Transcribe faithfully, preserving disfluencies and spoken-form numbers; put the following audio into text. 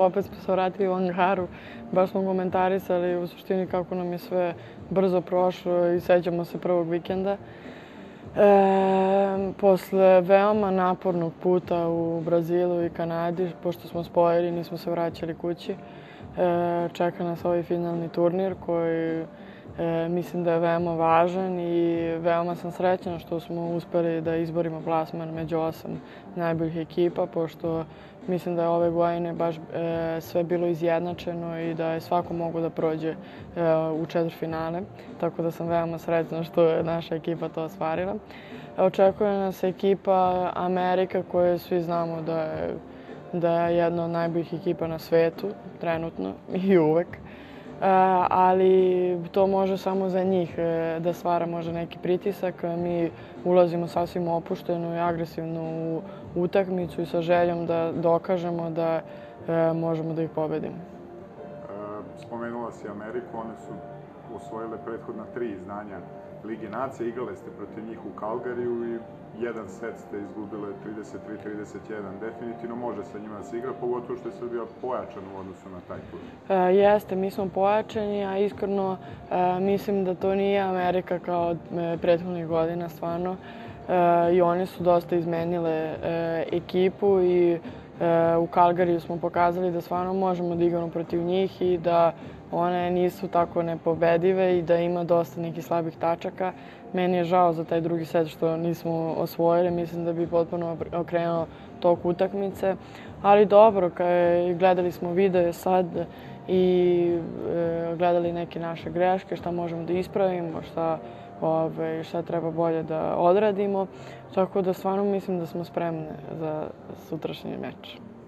opet smo se vratili u Angaru, baš smo komentarisali u suštini kako nam je sve brzo prošlo i sećamo se prvog vikenda. E, posle veoma napornog puta u Brazilu i Kanadi, pošto smo spojili, nismo se vraćali kući, e, čeka nas ovaj finalni turnir koji e, mislim da je veoma važan i veoma sam srećna što smo uspeli da izborimo plasman među osam najboljih ekipa, pošto mislim da je ove godine baš e, sve bilo izjednačeno i da je svako mogo da prođe e, u četvrtfinale, tako da sam veoma srećna što je naša ekipa to ostvarila. Očekuje nas ekipa Amerika koju svi znamo da je, da je jedna od najboljih ekipa na svetu, trenutno i uvek. Ali to može samo za njih da stvara možda neki pritisak. Mi ulazimo sasvim opušteno i agresivno u utakmicu i sa željom da dokažemo da možemo da ih pobedimo. Spomenula si Ameriku, one su osvojile prethodna tri izdanja Lige nacija, igrale ste protiv njih u Calgaryju i jedan set ste izgubile trideset tri trideset jedan. Definitivno može sa njima da se igra, pogotovo što je Srbija pojačana u odnosu na taj tur. E, jeste, mi smo pojačani, a iskreno e, mislim da to nije Amerika kao prethodnih godina, stvarno. E, I oni su dosta izmenile e, ekipu i e, u Calgaryju smo pokazali da stvarno možemo da igramo protiv njih i da one nisu tako nepobedive i da ima dosta nekih slabih tačaka. Meni je žao za taj drugi set što nismo osvojili, mislim da bi potpuno okrenuo tok utakmice. Ali dobro, gledali smo video sad i gledali neke naše greške, šta možemo da ispravimo, šta, ove, šta treba bolje da odradimo. Tako da stvarno mislim da smo spremne za sutrašnji meč.